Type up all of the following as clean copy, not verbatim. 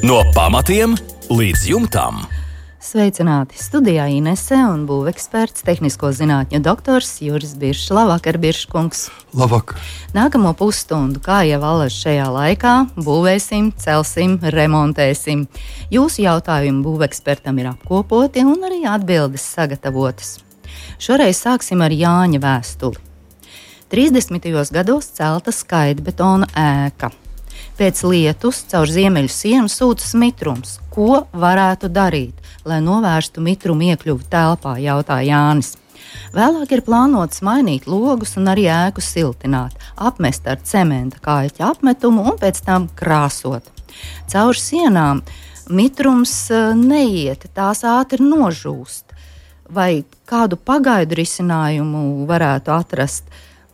No pamatiem līdz jumtam. Sveicināti! Studijā Inese un būveksperts, tehnisko zinātņu doktors Juris Biršs. Labvakar, Birškungs! Labvakar! Nākamo pusstundu, kā jau allaž šajā laikā, būvēsim, celsim, remontēsim. Jūsu jautājumi būvekspertam ir apkopoti un arī atbildes sagatavotas. Šoreiz sāksim ar Jāņa vēstuli. 30. gados celta skaitbetona ēka. Pēc lietus caur ziemeļu sienu sūtas mitrums. Ko varētu darīt, lai novērstu mitrumu iekļuvi telpā, jautā Jānis. Vēlāk ir plānots mainīt logus un arī ēku siltināt, apmest ar cementa kāļķa apmetumu un pēc tam krāsot. Caur sienām mitrums neiet, tās ātri nožūst. Vai kādu pagaidu risinājumu varētu atrast?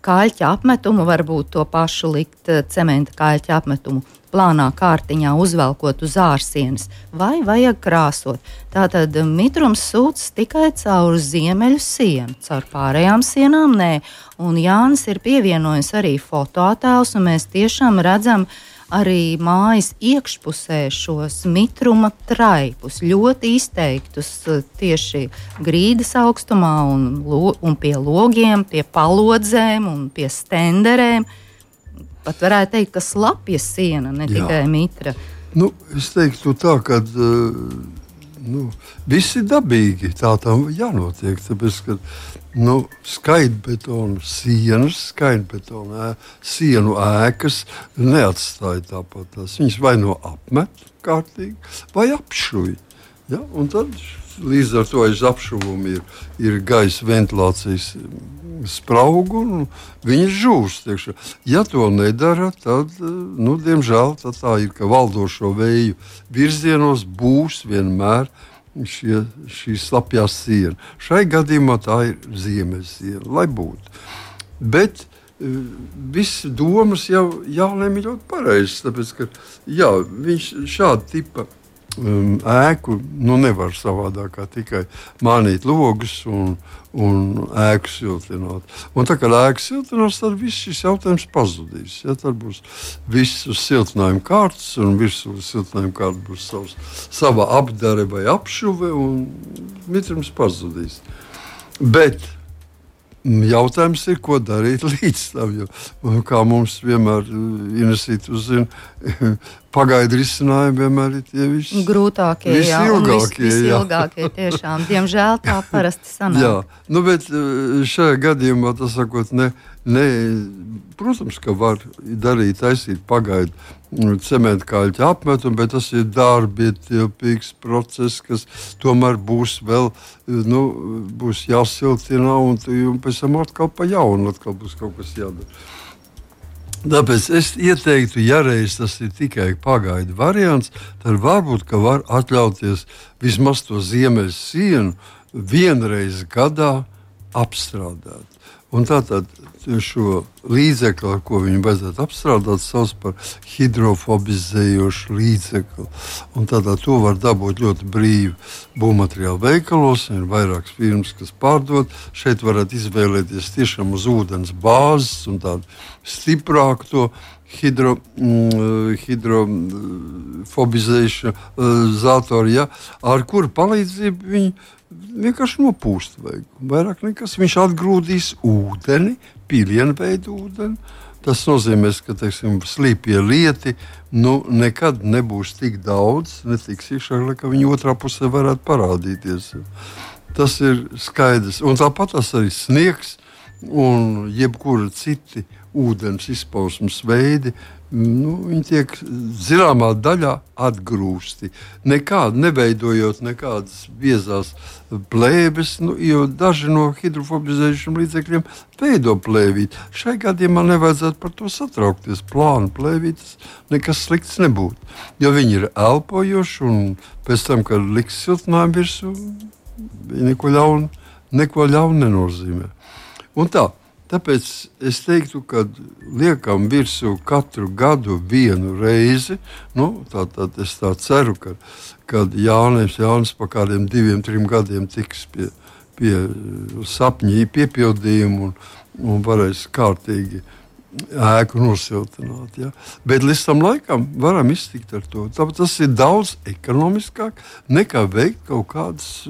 Kāļķa apmetumu, varbūt to pašu likt cementa kāļķa apmetumu plānā kārtiņā uzvelkot uz ārsienas, vai vajag krāsot. Tātad mitrums sūcas tikai caur ziemeļu sienu, caur pārējām sienām nē. Un Jānis ir pievienojis arī fotoattēlus, un mēs tiešām redzam arī mājas iekšpusē šos mitruma traipus, ļoti izteiktus tieši grīdas augstumā un pie logiem, pie palodzēm un pie stenderēm. Pat varētu teikt, ka slapja siena, ne tikai mitra. Es teiktu tā, ka viss ir dabīgi, tā tam jānotiek, tāpēc, ka skaitbetona sienas, skaitbetona sienu ēkas neatstāja tāpat tās. Viņas vai no apmet kārtīgi, vai apšuj. Ja? Un tad līdz ar to aiz apšuvumu ir gaisa ventilācijas spraugu, un viņi žūst. Ja to nedara, tad, diemžēl, tā ir, ka valdošo vēju virzienos būs vienmēr šī slapjā siena. Šai gadījumā tā ir ziemeļsiena, lai būtu. Bet viss domas jau Jānim ir ļoti pareizs, tāpēc, ka viņš šāda tipa ēku nevar savādāk kā tikai mānīt logus un ēku siltināt. Un tā kā ēku siltinās, tad viss šis jautājums pazudīs. Ja, tad būs viss uz siltinājuma kārtas, un virsū siltinājuma kārta būs sava apdare vai apšuve, un mitrums pazudīs. Bet jautājums ir, ko darīt līdz tam, jo kā mums vienmēr Inesīt uzzina, pagaidu risinājumi vienmēr ir tie grūtākie, visilgākie tiešām. Diemžēl tā parasti sanāk. Bet šajā gadījumā, tas sakot, protams, ka var darīt, taisīt pagaidu cementa kāļķa apmetumu, bet tas ir darbietilpīgs process, kas tomēr būs vēl, būs jāsiltina, un pēc tam atkal pa jaunu, atkal būs kaut kas jādara. Tāpēc es ieteiktu, ja reiz tas ir tikai pagaidu variants, tad varbūt, ka var atļauties vismaz to ziemeļu sienu vienreiz gadā apstrādāt. Un tātad šo līdzekli, ar ko viņu vajadzētu apstrādāt, sauc par hidrofobizējošu līdzekli. Un tātad to var dabūt ļoti brīvi būvmateriālu veikalos. Ir vairākas firmas, kas pārdod. Šeit varat izvēlēties tiešām uz ūdens bāzes un tādu stiprāku to hidrofobizēšanu ar kuru palīdzību viņi vienkārši nopūst vajag. Vairāk nekas. Viņš atgrūdīs ūdeni, pilienveidu ūdeni. Tas nozīmē, ka, slīpie lieti nekad nebūs tik daudz, netiks iekšā, ka viņi otrā pusē varētu parādīties. Tas ir skaidrs. Un tāpat tas arī sniegs un jebkura citi ūdens izpausmes veidi, viņi tiek zināmā daļā atgrūsti. Neveidojot nekādas biezās plēves, jo daži no hidrofobizējušiem līdzekļiem veido plēvīti. Šai gadījumā nevajadzētu par to satraukties. Plānu plēvītas nekas slikts nebūtu. Jo viņi ir elpojoši, un pēc tam, kad liks siltinājumu virsū, viņi neko ļaunu nenozīmē. Un tāpēc es teiktu, ka liekam virsū katru gadu vienu reizi. Tātad es ceru, ka Jānis pa kādiem 2-3 gadiem tiks pie sapņu piepildījuma un varēs kārtīgi ēku nosiltināt. Ja? Bet līdz tam laikam varam iztikt ar to. Tāpēc tas ir daudz ekonomiskāk nekā veikt kaut kādas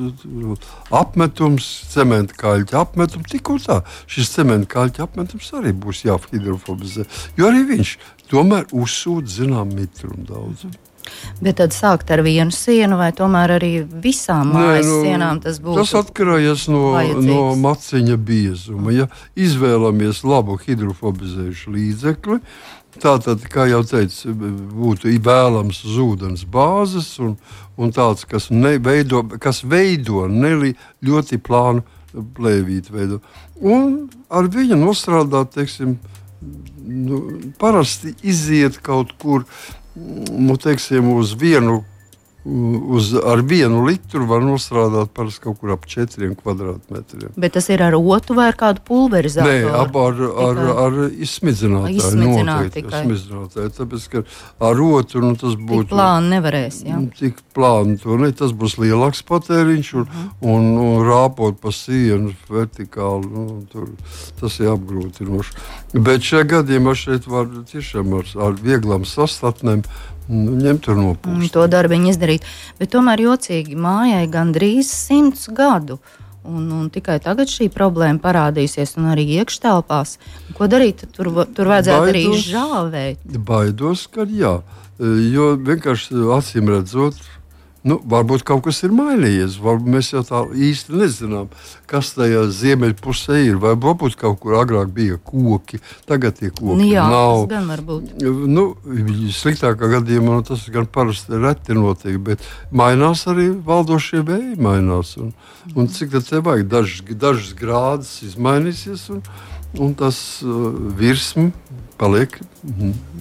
apmetums, cementa kaļķa apmetums. Tik un tā, šis cementa kaļķa apmetums arī būs jāhidrofobizē, jo arī viņš tomēr uzsūta zinām mitrumu daudz. Bet tad sākt ar vienu sienu vai tomēr arī visām mājas sienām tas būtu? Tas atkarīgs no maciņa biezuma. Ja izvēlamies labu hidrofobizējušu līdzekli, tātad, kā jau teicu, būtu vēlams uz ūdens bāzes un tāds, kas veido ļoti plānu plēvīti veido. Un ar viņu nostrādāt, teiksim, parasti iziet kaut kur, teiksim, ar 1 litru var nostrādāt parasti kaut kur ap 4 kvadrātmetriem. Bet tas ir ar otu vai ar kādu pulverizātoru? Nē, ar izsmidzinātāju. Noteikti izsmidzinātāju. Tāpēc, ka ar otu tas būtu... Tik plāni nevarēs, jā? Tik plāni to ne. Tas būs lielāks patēriņš un rāpot pa sienu vertikāli. Tas ir apgrūtinoši. Bet šajā gadījumā šeit var tiešām ar vieglām sastatnēm ņemt un nopūst. To darbiņu izdarīt. Bet tomēr jocīgi mājai gandrīz 100 gadu. Un tikai tagad šī problēma parādīsies un arī iekštelpās. Ko darīt? Tur vajadzētu arī žāvēt. Baidos, ka jā. Jo vienkārši acīm redzot, varbūt kaut kas ir mainījies. Varbūt mēs jau tā īsti nezinām, kas tajā ziemeļpusē ir. Vai varbūt kaut kur agrāk bija koki, tagad tie koki nav. Tas gan var būt. Sliktākā gadījumā tas gan parasti reti notiek, bet mainās arī valdošie vēji mainās. Un cik tad te vajag? Dažas grādas izmainīsies un tas virsma paliek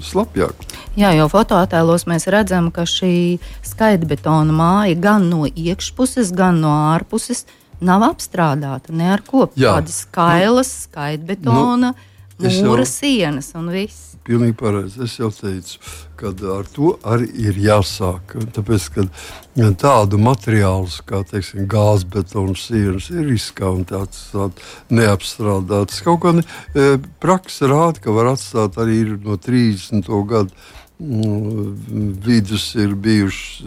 slapjāk. Jā, jo fotoattēlos mēs redzam, ka šī skaitbetona māja gan no iekšpuses, gan no ārpuses nav apstrādāta ne ar ko. Tādas skailas, skaitbetona, mūra sienas un viss. Pilnīgi pareizi. Es jau teicu, ka ar to arī ir jāsāk. Tāpēc, ka tādu materiālus, kā teiksim, gāzbetona sienas, ir riskanti atstāt neapstrādātas. Kaut kā praksa rāda, ka var atstāt arī no 30. gadu vidus ir bijuši,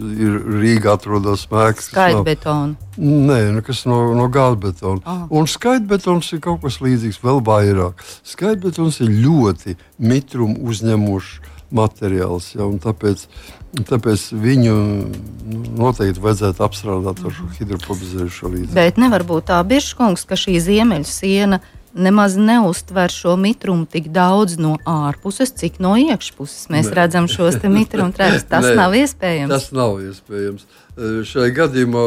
Rīgā atrodas mēks. Skaitbetona? Nē, kas no gāzbetona. Un skaitbetons ir kaut kas līdzīgs vēl vairāk. Skaitbetons ir ļoti mitrumu uzņemošs materiāls, ja, un tāpēc viņu noteikti vajadzētu apstrādāt ar šo hidrofobizējušo līdzekli. Bet nevar būt tā, Biržkungs, ka šī ziemeļu siena nemaz neuztver šo mitrumu tik daudz no ārpuses, cik no iekšpuses. Mēs redzam šos te mitrumu trēpus. Tas nav iespējams. Tas nav iespējams. Šajā gadījumā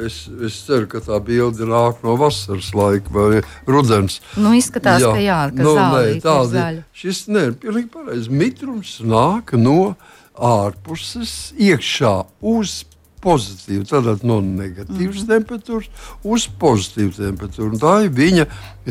es ceru, ka tā bilde nāk no vasaras laika vai rudens. Izskatās, ka zālīte ir zaļa. Šis pilnīgi pareizi. Mitrums nāk no ārpuses iekšā uz pozitīvu, tātad no negatīvas temperatūras uz pozitīvu temperatūru. Tā ir viņa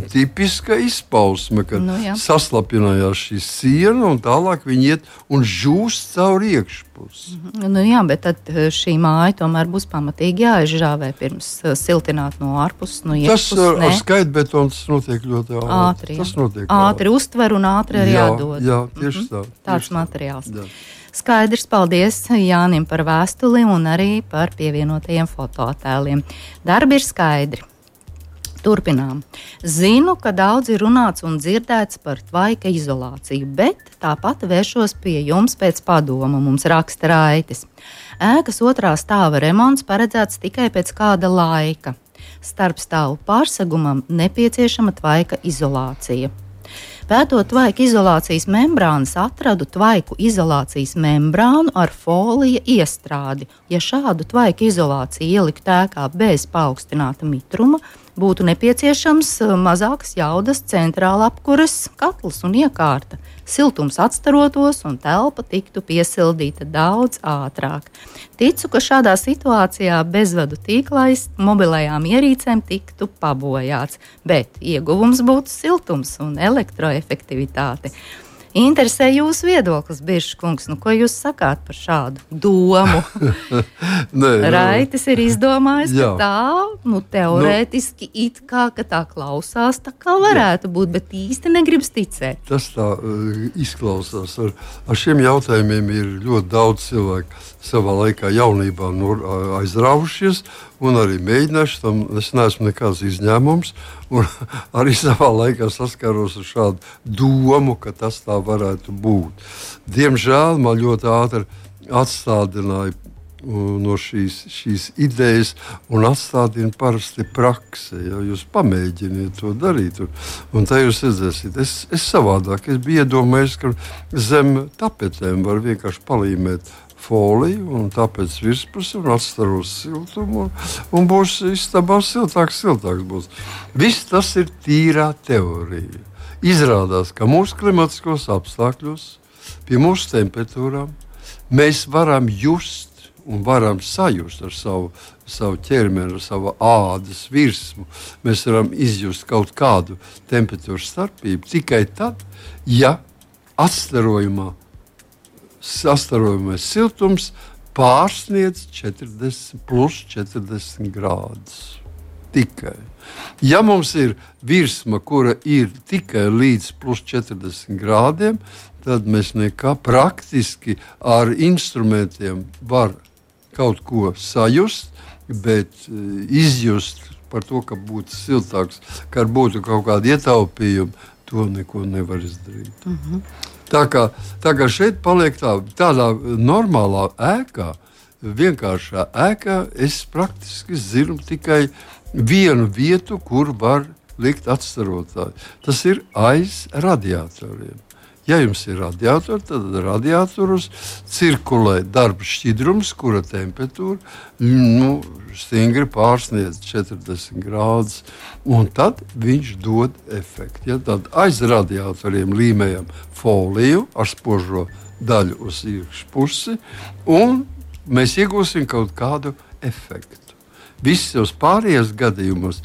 tipiska izpausme, kad saslapinājās šī siena un tālāk viņa iet un žūst caur iekšpusi. Jā, bet tad šī māja tomēr būs pamatīgi jāizžāvē pirms siltināt no ārpuses, no iekšpuses. Tas ar skaitbetonu tas notiek ļoti ātri. Tas notiek ātri uztver un ātri arī jādod. Jā, tieši tā. Tāds materiāls. Jā. Skaidrs, paldies Jānim par vēstuli un arī par pievienotajiem fotoattēliem. Darbi ir skaidri. Turpinām. Zinu, ka daudz ir runāts un dzirdēts par tvaika izolāciju, bet tāpat vēršos pie jums pēc padoma, mums raksta Raitis. Ēkas 2. stāva remonts paredzēts tikai pēc kāda laika. Starpstāvu pārsegumam nepieciešama tvaika izolācija. Pētot tvaika izolācijas membrānas, atradu tvaiku izolācijas membrānu ar folija iestrādi. Ja šādu tvaika izolāciju ielikt ēkā bez paaugstināta mitruma, būtu nepieciešams mazākas jaudas centrāla apkures katls un iekārta. Siltums atstarotos un telpa tiktu piesildīta daudz ātrāk. Ticu, ka šādā situācijā bezvadu tīklais mobilajām ierīcēm tiktu pabojāts, bet ieguvums būtu siltums un elektroefektivitāte. Interesē jūsu viedoklis, Biršs kungs. Ko jūs sakāt par šādu domu? Raitis ir izdomājis, ka tā, teorētiski it kā, ka tā klausās, tā kā varētu būt, bet īsti negribas ticēt. Tas tā izklausās. Ar šiem jautājumiem ir ļoti daudz cilvēku savā laikā jaunībā aizraujušies un arī mēģinājuši. Tam es neesmu nekāds izņēmums. Un arī savā laikā saskaros ar šādu domu, ka tas tā varētu būt. Diemžēl man ļoti ātri atstādināja no šīs idejas un atstādina parasti praksē. Ja jūs pamēģiniet to darīt, un tā jūs redzēsiet. Es savādāk, es biju iedomājies, ka zem tapetēm var vienkārši palīmēt foliju un tāpēc virspusi un atstaros siltumu un būs istabā siltāks būs. Viss tas ir tīrā teorija. Izrādās, ka mūsu klimatiskos apstākļos, pie mūsu temperatūrām, mēs varam just un varam sajust ar savu ķermeni, ar savu ādas virsmu. Mēs varam izjust kaut kādu temperatūras starpību tikai tad, ja sastarojamais siltums pārsniedz 40 grādus. Tikai. Ja mums ir virsma, kura ir tikai līdz plus 40 grādiem, tad mēs nekā praktiski ar instrumentiem var kaut ko sajust, bet izjust par to, ka būtu siltāks, ka būtu kaut kādi ietaupījumi, to neko nevar izdarīt. Tā kā šeit paliek tādā normālā ēkā, vienkāršā ēkā, es praktiski zinu tikai vienu vietu, kur var likt atstarotāju. Tas ir aiz radiatoriem. Ja jums ir radiatori, tad radiatorus cirkulē darba šķidrums, kura temperatūra stingri pārsniedz 40 grādus, un tad viņš dod efektu. Ja, tad aiz radiatoriem līmējam foliju ar spožo daļu uz iekšpusi, un mēs iegūsim kaut kādu efektu. Visos pārējos gadījumos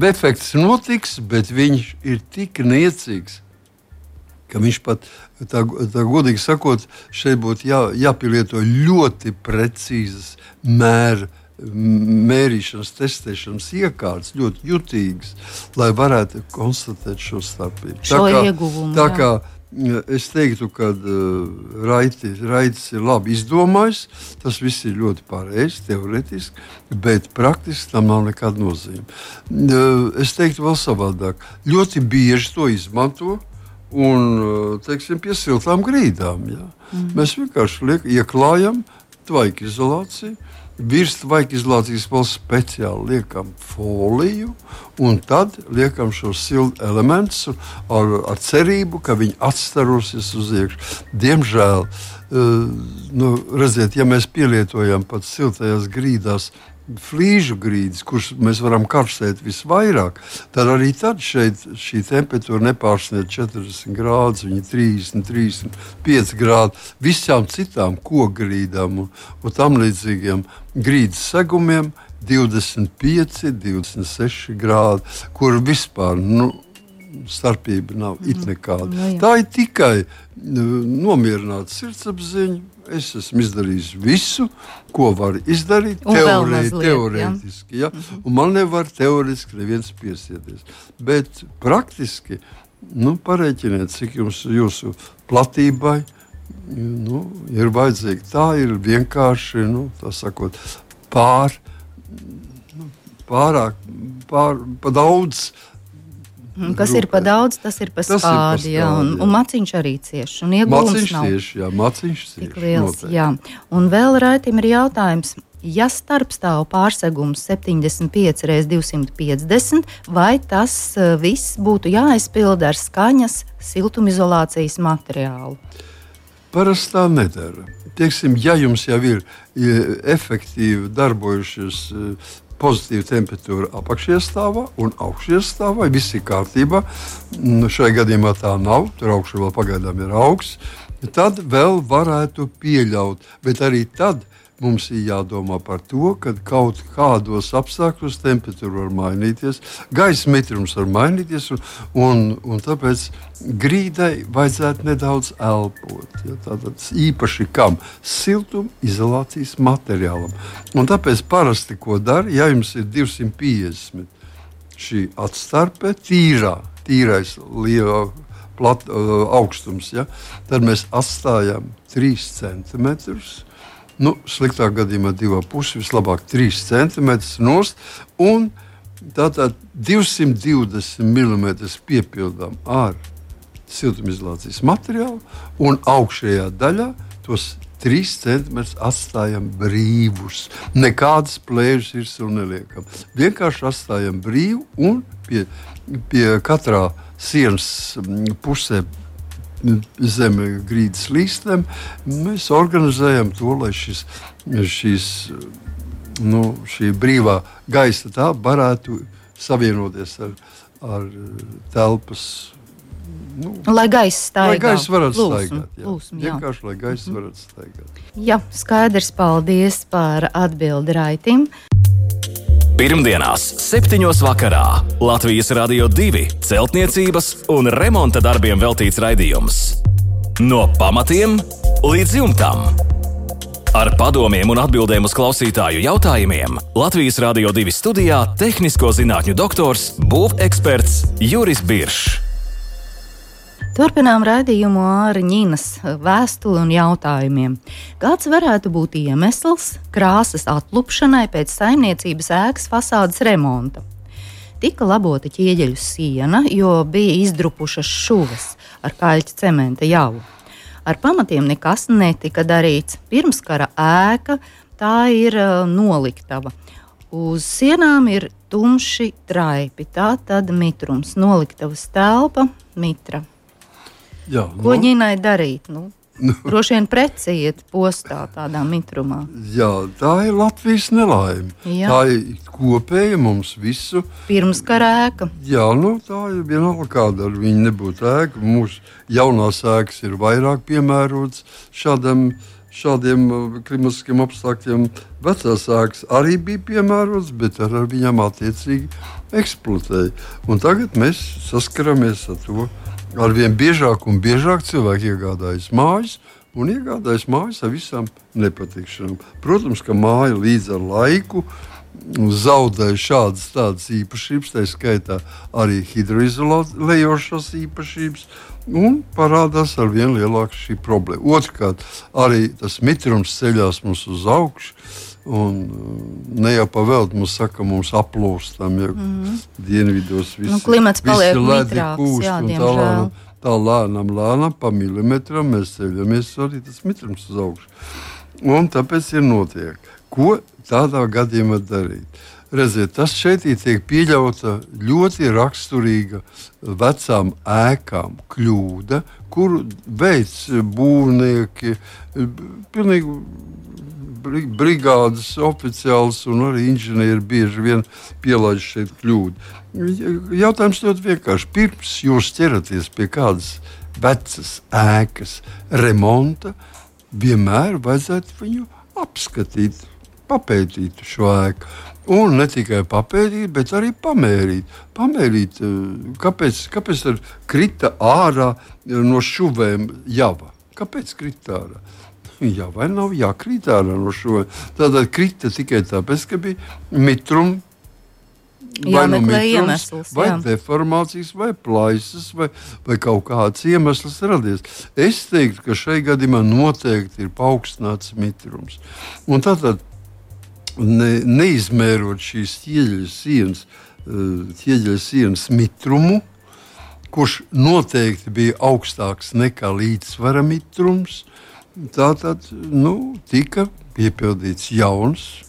efekts notiks, bet viņš ir tik niecīgs, ka viņš pat, tā godīgi sakot, šeit būtu jāpielieto ļoti precīzas mērīšanas, testēšanas iekārtas, ļoti jutīgas, lai varētu konstatēt šo starpību. Tā kā es teiktu, ka Raitis ir labi izdomājis, tas viss ir ļoti pareizi, teoretiski, bet praktiski tam nav nekāda nozīme. Es teiktu vēl savādāk. Ļoti bieži to izmanto, un, teiksim, pie siltām grīdām. Ja. Mēs vienkārši ieklājam tvaika izolāciju, virs tvaika izolācijas vēl speciāli liekam foliju, un tad liekam šos siltu elementus ar cerību, ka viņi atstarosies uz iekšu. Diemžēl, redziet, ja mēs pielietojam pat siltajās grīdās flīžu grīdas, kuras mēs varam karstēt visvairāk, tad arī tad šī temperatūra nepārsniedz 40 grādus, viņa 35 grādi. Visām citām kokgrīdām un tam līdzīgiem grīdas segumiem 25, 26 grādi, kur vispār starpība nav it nekāda. Tā ir tikai nomierināta sirdsapziņa. Es esmu izdarījis visu, ko var izdarīt teorētiski. Ja? Un man nevar teorētiski neviens piesieties. Bet praktiski pareiķiniet, cik jums jūsu platībai ir vajadzīgi. Tā ir vienkārši, tā sakot, pa daudz. Kas ir pa daudz, tas ir pa skādi, un maciņš arī cieš, un iegūms nav. Maciņš cieš, tik liels, jā. Un vēl Raitim ir jautājums, ja starpstāv pārsegums 75 × 250, vai tas viss būtu jāaizpilda ar skaņas siltumizolācijas materiālu? Parasti tā nedara. Teiksim, ja jums jau ir efektīvi darbojušies pozitīva temperatūra apakšiestāvā un augšiestāvā, viss ir kārtībā. Šajā gadījumā tā nav, tur augšā vēl pagaidām ir augsts. Tad vēl varētu pieļaut, bet arī tad mums ir jādomā par to, ka kaut kādos apstākļos temperatūra var mainīties, gaisa mitrums var mainīties, un tāpēc grīdai vajadzētu nedaudz elpot. Ja? Tātad īpaši kam? Siltumizolācijas materiālam. Un tāpēc parasti, ko dara, ja jums ir 250 šī atstarpe, tīrais liela augstums, ja? Tad mēs atstājam 3 centimetrus, sliktā gadījumā 2,5, vislabāk 3 centimetrus nost, un tātad 220 mm piepildām ar siltumizolācijas materiālu, un augšējā daļā tos 3 centimetrus atstājam brīvus. Nekādas plēžas virsū neliekam. Vienkārši atstājam brīvu, un pie katrā sienas pusē zem grīdas līstiem mēs organizējam to, lai šī brīvā gaisa tā varētu savienoties ar telpas. Lai gaisa staigā. Lai gaisa varētu staigāt. Plūsmu, vienkārši, lai gaisa varētu staigāt. Jā, skaidrs, paldies par atbildi Raitim. Pirmdienās, 7. vakarā Latvijas Radio 2 celtniecības un remonta darbiem veltīts raidījums. No pamatiem līdz jumtam. Ar padomiem un atbildēm uz klausītāju jautājumiem Latvijas Radio 2 studijā tehnisko zinātņu doktors, būveksperts Juris Biršs. Turpinām raidījumu ar Ņinas vēstuli un jautājumiem. Kāds varētu būt iemesls krāsas atlupšanai pēc saimniecības ēkas fasādes remonta? Tika labota ķieģeļu siena, jo bija izdrupušas šuves ar kaļķa cementa javu. Ar pamatiem nekas netika darīts. Pirmskara ēka, tā ir noliktava. Uz sienām ir tumši traipi, tā tad mitrums. Noliktavas telpa, mitra. Jā, Ko Ņinai darīt? Droši vien preci iet postā tādā mitrumā. Jā, tā ir Latvijas nelaime. Jā. Tā ir kopēja mums visu. Pirmskara ēka. Jā, tā ir vienalga kāda ar viņu nebūtu ēka. Mūsu jaunās ēkas ir vairāk piemērotas šādiem klimatiskiem apstākļiem. Vecās ēkas arī bija piemērotas, bet ar viņām attiecīgi eksploatēja. Un tagad mēs saskaramies ar to. Arvien biežāk un biežāk cilvēki iegādājas mājas un iegādājas mājas ar visām nepatikšanām. Protams, ka māja līdz ar laiku zaudē šādas tādas īpašības, tā skaitā arī hidroizolējošās īpašības, un parādās arvien lielāka šī problēma. Otrkārt, arī tas mitrums ceļās mums uz augšu. Un ne jau pavēlti mums saka, mums aplūstam, ja dienvidos klimats paliek mitrāks, jā, diemžēl. Tā lēnām pa milimetram mēs ceļamies arī tas mitrums uz augšu. Un tāpēc ir notiek. Ko tādā gadījumā darīt? Redziet, tas šeit tiek pieļauta ļoti raksturīga vecām ēkām kļūda, kuru veids būvnieki, pilnīgi brigādes oficiāls un arī inženieri bieži vien pielaiž šeit kļūdu. Jautājums ļoti vienkārši. Pirms jūs ķeraties pie kādas vecas ēkas remonta, vienmēr vajadzētu viņu apskatīt, papētīt šo ēku. Un ne tikai papētīt, bet arī pamērīt. Pamērīt, kāpēc ar krita ārā no šuvēm java? Kāpēc krita ārā? Jā, vai nav jākrīt ārā no šo? Tātad krita tikai tāpēc, ka bija mitrums, vai no mitrums, vai deformācijas, vai plaisas, vai kaut kāds iemesls radies. Es teiktu, ka šai gadījumā noteikti ir paaugstināts mitrums. Un tātad neizmērot šīs ķieģeļa sienas mitrumu, kurš noteikti bija augstāks nekā līdzsvara mitrums, tātad tika piepildīts jauns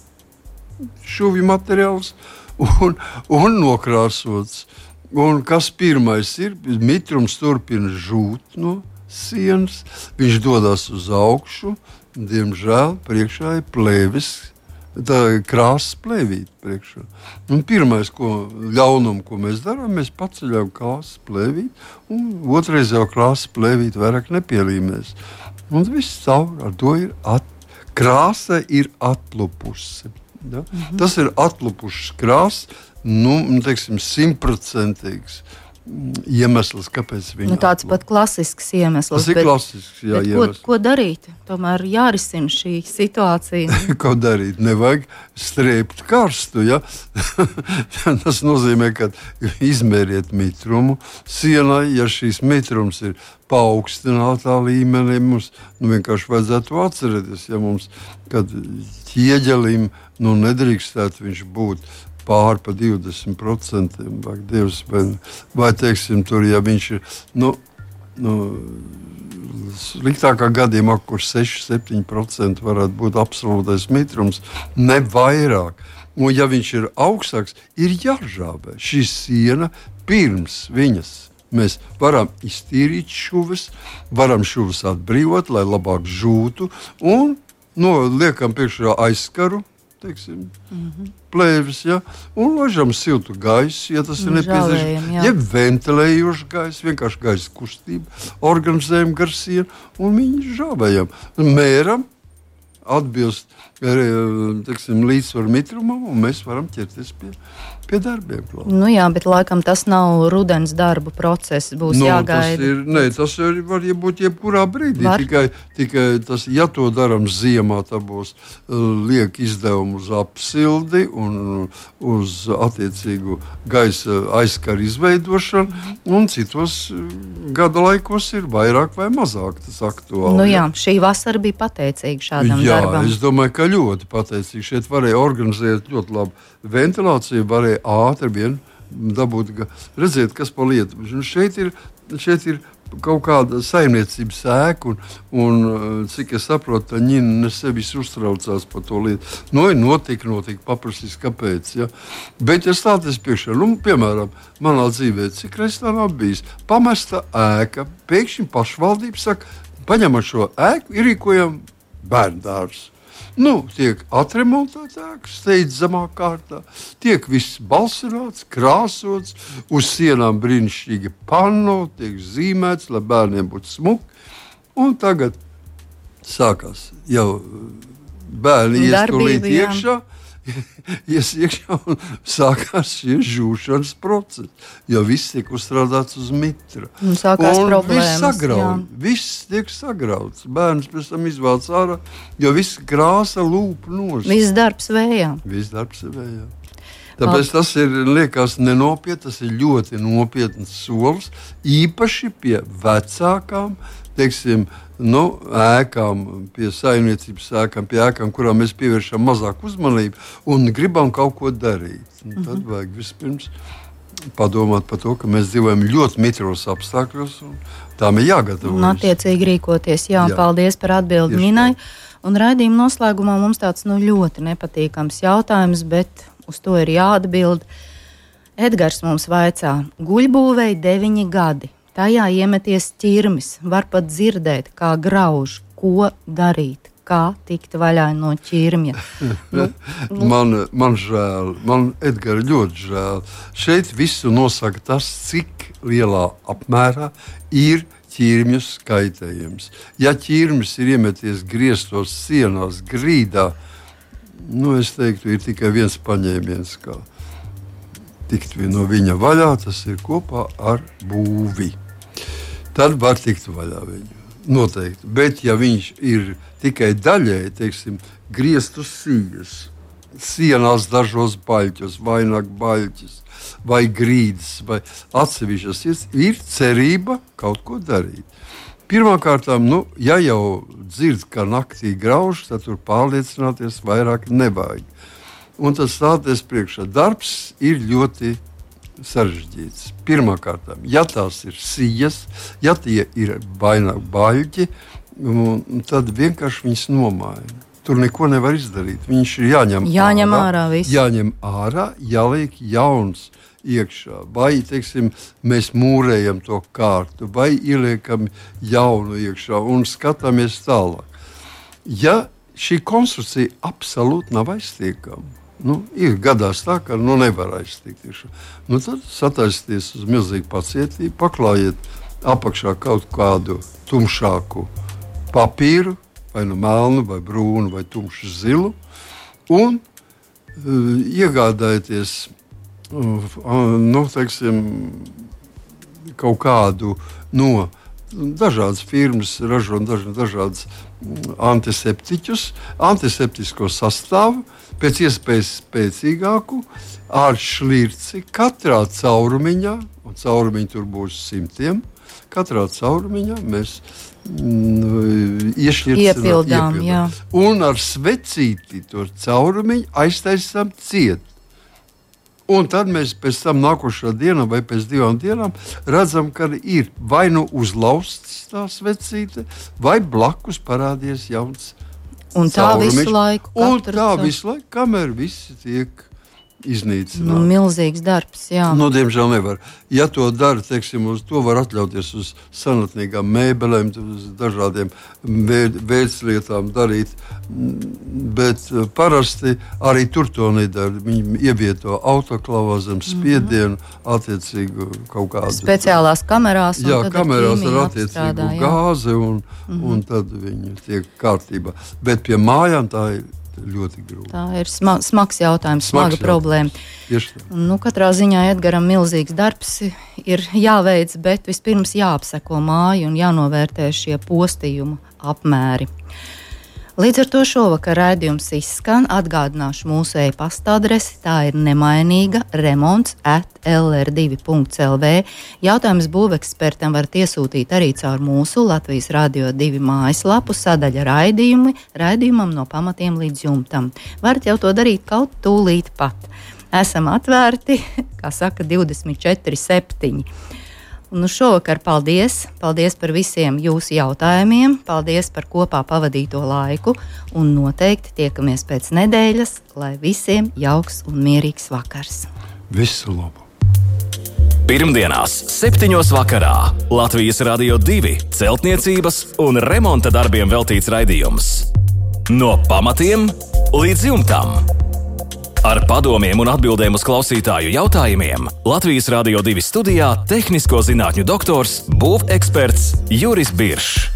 šuvju materiāls un nokrāsots. Un kas pirmais ir? Mitrums turpina žūt no sienas, viņš dodas uz augšu, diemžēl priekšā ir plēvis, tā ir krāsas plēvīte priekšā. Un pirmais ļaunumu, ko mēs darām, mēs paceļam krāsas plēvīti, un otrais jau krāsas plēvīti vairāk nepielīmēs. Un viss caur ar to ir krāsa ir atlupusi. Ja? Tas ir atlupušs krāsas, teiksim, 100%. Iemesls, kāpēc viņi tāds pat klasisks iemesls. Tas ir klasisks, jā, iemesls. Ko darīt? Tomēr jārisina šī situācija. Ko darīt? Nevajag strēpt karstu, ja? Tas nozīmē, ka izmēriet mitrumu sienai, ja šīs mitrums ir paaugstinātā līmenī, mums vienkārši vajadzētu atcerēties, ja mums, kad ķieģelim, nedrīkstētu viņš būt pār pa 20%, vai teiksim, tur, ja viņš ir, sliktākā gadījumā, kur 6-7% varētu būt absolūtais mitrums, ne vairāk. Un ja viņš ir augstāks, ir jāžābē šī siena pirms viņas. Mēs varam iztīrīt šuves, varam šuves atbrīvot, lai labāk žūtu, un liekam priekšā aizskaru, teiksim, plēvis, ja? Un ložam siltu gaisu, ja tas ir nepieciešams, jeb ventilējošu gaisu, vienkārši gaisa kustību, organizējam gar sienu, un viņi žāvējam. Mēram atbilst, teiksim, līdzsvaru mitrumam, un mēs varam ķerties pie darbiem. Jā, bet laikam tas nav rudens darbu process, būs jāgaida. Tas var būt jebkurā brīdī, tikai tas, ja to daram ziemā, tā būs liek izdevumu uz apsildi un uz attiecīgu gaisa aizskaru izveidošanu, un citos gada laikos ir vairāk vai mazāk tas aktuāli. Šī vasara bija pateicīga šādam darbam. Es domāju, ka ļoti pateicīgi. Šeit varēja organizēt ļoti labu ventilāciju, varēja ātri vien dabūt, redziet, kas pa lietu. Šeit ir kaut kāda saimniecības ēka, un cik es saprotu, tā ņina sevis uztraucās par to lietu. Notika, paprasīs, kāpēc. Ja? Bet es stāties priekšā, piemēram, manā dzīvē, cik reiz tā nav bijis, pamesta ēka, pēkšņi pašvaldība saka, paņemam šo ēku, ierīkojam bērndārs. Tiek atremontēts ēkas, steidzamā kārtā, tiek viss balsināts, krāsots, uz sienām brīnišķīgi panno, tiek zīmēts, lai bērniem būtu smuki. Un tagad sākās jau bērni iestulīt iekšā, un sākās šie žūšanas procesi, jo viss tiek uzstrādāts uz mitra. Sākās problēmas. Viss tiek sagrauts. Bērns pēc tam izvēlas ārā, jo viss krāsa lūp nos. Viss darbs vējā. Tāpēc tas ir, liekas, nenopietni, tas ir ļoti nopietns solis, īpaši pie vecākām, teiksim, ēkām, pie saimniecības ēkām, pie ēkām, kurām mēs pievēršam mazāk uzmanību un gribam kaut ko darīt. Tad vajag vispirms padomāt par to, ka mēs dzīvojam ļoti mitros apstākļos, un tām ir jāgatavojas. Un attiecīgi rīkoties. Jā. Paldies par atbildi Ninai. Un raidījuma noslēgumā mums tāds ļoti nepatīkams jautājums, bet uz to ir jāatbild. Edgars mums vaicā, guļbūvei 9 gadi. Tajā iemeties ķirmis, var pat dzirdēt, kā grauž, ko darīt, kā tikt vaļā no ķirmja. Man žēl, man Edgara ļoti žēl. Šeit visu nosaka tas, cik lielā apmērā ir ķirmju skaitējums. Ja ķirmis ir iemeties griestos sienās, grīdā, es teiktu, ir tikai viens paņēmiens, kā tikt no viņa vaļā, tas ir kopā ar būvi. Tad var tikt vaļā viņu. Noteikti. Bet, ja viņš ir tikai daļēji, teiksim, griestu sijas, sienās dažos baļķos, vainag baļķis, vai grīdas, vai atsevišķas, ir cerība kaut ko darīt. Pirmkārt, ja jau dzird, ka naktī grauž, tad tur pārliecināties vairāk nevajag. Un tas stāties priekšā. Darbs ir ļoti sarežģīts. Pirmkārt, ja tās ir sijas, ja tie ir vainag baļķi, tad vienkārši viņas nomaina. Tur neko nevar izdarīt. Viņš ir jāņem ārā. Jāņem ārā, jāliek jauns iekšā. Vai, teiksim, mēs mūrējam to kārtu, vai ieliekam jaunu iekšā un skatāmies tālāk. Ja šī konstrukcija absolūti nav aiztiekama, ir gadās tā, ka nevar aiztikt. Tad sataisieties uz milzīgu pacietību, paklājiet apakšā kaut kādu tumšāku papīru vai nu melnu, vai brūnu, vai tumšu zilu, un iegādājieties teiksim, kaut kādu no dažādas firmas ražo dažādas antiseptiķus, antiseptisko sastāvu, pēc iespējas spēcīgāku, ar šlirci katrā caurumiņā, un caurumiņi tur būs 100, katrā caurumiņā mēs iepildām. Un ar svecīti to caurumiņu aiztaisām ciet. Un tad mēs pēc tam nākošā dienā vai pēc 2 dienām redzam, ka ir vai nu uzlausts tā svecīte, vai blakus parādies jauns un tā caurumiņš. visu laiku. Un tā visu laiku, kamēr visi tiek iznīcināti. Milzīgs darbs, jā. Diemžēl nevar. Ja to dara, teiksim, uz to var atļauties uz senatnīgām mēbelēm, uz dažādiem veidslietām darīt, bet parasti arī tur to nedara. Viņi ievieto autoklavā zem spiedienu, attiecīgu kaut kādu speciālās kamerās. Jā, kamerās ar attiecīgu gāzi, un tad viņi tiek kārtībā. Bet pie mājām tā ir ļoti grūti. Tā ir smags jautājums, smaga problēma. Katrā ziņā Edgaram milzīgs darbs ir jāveic, bet vispirms jāapseko māju un jānovērtē šie postījuma apmēri. Līdz ar to šovakar raidījums izskan. Atgādināšu mūsu e-pasta adresi. Tā ir nemainīga remonts@lr2.lv. Jautājumus būvekspertam varat iesūtīt arī caur mūsu Latvijas Radio 2 mājaslapu sadaļa raidījumam no pamatiem līdz jumtam. Varat jau to darīt kaut tūlīt pat. Esam atvērti, kā saka, 24/7. Šovakar paldies par visiem jūsu jautājumiem, paldies par kopā pavadīto laiku un noteikti tiekamies pēc nedēļas, lai visiem jauks un mierīgs vakars. Visu labu! Pirmdienās 7:00 vakarā Latvijas Radio 2 celtniecības un remonta darbiem veltīts raidījums. No pamatiem līdz jumtam. Ar padomiem un atbildēm uz klausītāju jautājumiem Latvijas Radio 2 studijā tehnisko zinātņu doktors, būveksperts Juris Biršs.